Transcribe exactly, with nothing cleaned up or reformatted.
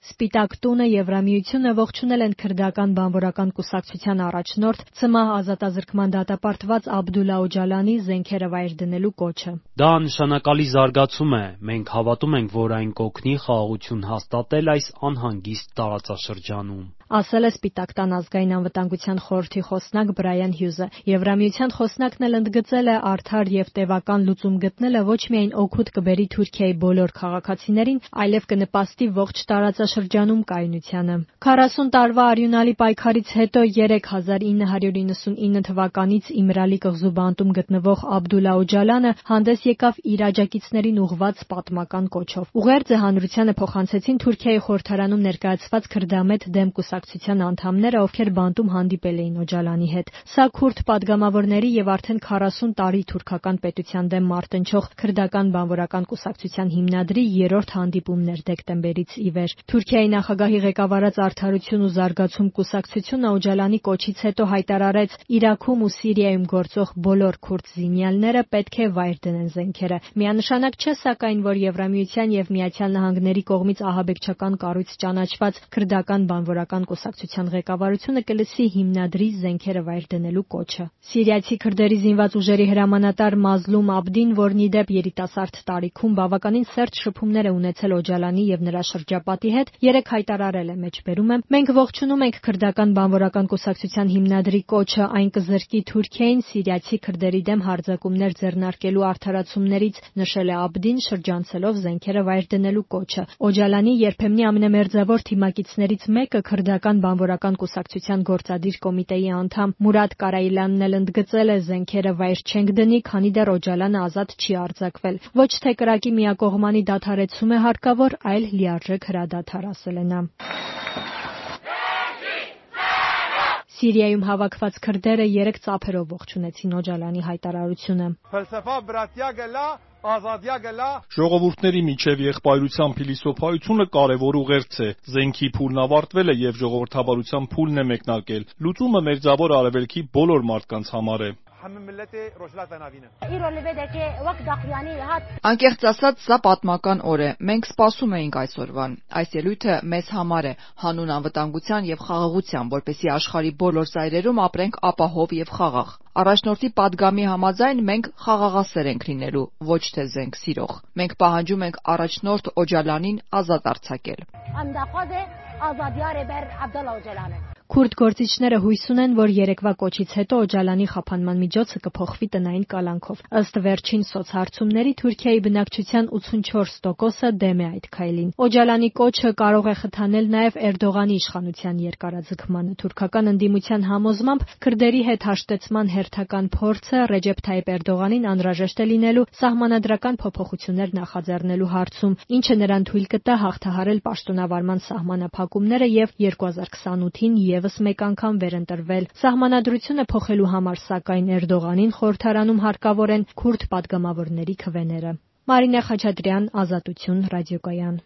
Սպիտակ տունը Եվրամիությունը ողջունել են քրդական բանվորական կուսակցության առաջնորդ ՑՄԱՀ ազատազրկման դատապարտված Աբդուլլա Օջալանի զենքերը վայր դնելու կոչը։ Դա նշանակալի զարգացում է։ Մենք հավատում ենք, որ այն կօգնի խաղաղություն հաստատել այս անհանգիստ տարածաշրջանում, ասել է Սպիտակ տան ազգային անվտանգության խորհրդի խոսնակ Բրայան Հյուզը։ Եվրամիության խոսնակն էլ ընդգծել է արդար եւ տևական լուծում գտնելը ոչ միայն օգուտ կբերի Թուրքիայի բոլոր քաղաքացիներին, այլև կնպաստի ողջ տարածաշրջանում կայունությանը։ քառասուն տարվա արյունալի պայքարից հետո երեք հազար ինը հարյուր իննսունինը թվականից Իմրալի կղզու բանտում գտնվող Աբդուլլա Օջալանը հանդես եկավ իր աջակիցներին ուղղված պատմական կոչով։ Ուղերձը հանրությանը փոխանցեցին Թուրքիայի խորհրդարանում ներկայացված քրդամետ դեմ կուսակցության անդամները, ովքեր բանտում հանդիպել էին Օջալանի հետ։ Սա քուրդ падգամավորների եւ արդեն քառասուն տարի թուրքական պետության դեմ մարտնչող քրդական բանվորական կուսակցության հիմնադրի երրորդ հանդիպումն էր դեկտեմբերից ի վեր։ Թուրքիայի նախագահի ղեկավարած Արդարություն ու զարգացում կուսակցությունը Օջալանի կոչից հետո հայտարարեց, Իրաքում ու Սիրիայում գործող բոլոր քուրդ զինյալները պետք է վայր դնեն զենքերը։ Միանշանակ չէ սակայն, որ Եվրամիության եւ Միացյալ Նահանգների կողմից ահաբեկչական կառույց ճանաչված քրդական բանվորական կուսակցության ղեկավարությունը կլսի հիմնադրի զենքերը վայր դնելու կոչը։ Սիրիացի քրդերի զինված ուժերի հրամանատար Մազլում Աբդին, որն ի դեպ երիտասարդ տարիքում բավականին սերտ շփումներ է ունեցել Օջալանի եւ նրա շրջապատի հետ, երեք հայտարարել է, մեջբերում է. Մենք ողջունում ենք քրդական բանվորական կուսակցության հիմնադրի կոչը, այն կզրկի Թուրքիային սիրիացի քրդերի դեմ հարձակումներ ձեռնարկելու արդարացումներից, նշել է Աբդին, շրջանցելով զենքերը վայր դնելու կոչը։ Օջալանի երբեմնի ամենամերձավոր թիմակիցներից մեկը քրդական բանվորական կուսակցության գործադիր կոմիտեի անդամ Մուրադ Կարայլյանն էլ ընդգծել է, զենքերը վայր չենք դնի, քանի դեռ Օջալանը ազատ չի արձակվել։ Ոչ թե կրակի միակողմանի դադարեցում է հարկավոր, այլ լիարժեք հրադադար, ասել է նա։ Սիրիայում հավաքված քրդերը երեք ծափերով ողջունեցին Օջալանի հայտարարությունը։ Ժողովուրդների միջև եղբայրության փիլիսոփայությունը կարևոր ուղերձ է։ Զենքի փուլն ավարտվել է եւ ժողովրդավարության փուլն է մեկնարկել։ Լուծումը մերձավոր Արևելքի բոլոր մարդկանց համար է։ Անկեղծ ասած, սա պատմական օր է։ Մենք սպասում էինք այս օրվան։ Այս ելույթը մեզ համար է, հանուն անվտանգության եւ խաղաղության, որպեսզի աշխարհի բոլոր ծայրերում ապրենք ապահով եւ խաղաղ։ Առաջնորդի պատգամի համաձայն մենք խաղաղասեր ենք լինելու, ոչ թե զենք սիրող։ Մենք պահանջում ենք առաջնորդ Օջալանին ազատ արձակել։ Քուրդ գործիչները հույս ունեն, որ երեկվա կոչից հետո Օջալանի խափանման միջոցը կփոխվի տնային կալանքով։ Ըստ վերջին սոցհարցումների Թուրքիայի բնակչության ութսունչորս տոկոսը դեմ է այդ քայլին։ Օջալանի կոչը կարող է խթանել նաև Էրդողանի իշխանության երկարաձգմանը։ Թուրքական ընդդիմության համոզմամբ քրդերի հետ հաշտեցման հերթական փորձը Ռեջեփ Թայիփ Էրդողանին անհրաժեշտ է լինելու սահմանադրական փոփոխություններ նախաձեռնելու հարցում, ինչը նրան թույլ կտա հաղթահարել պաշտոնավարման սահմանափակումները եւ երկու հազար քսանութին եւս մեկ անգամ վերընտրվել։ Սահմանադրությունը փոխելու համար, սակայն, Էրդողանին խորհրդարանում հարկավոր են քուրդ падգամավորների քվեները։ Մարինե Խաչատրյան, Ազատություն, ռադիոկայան։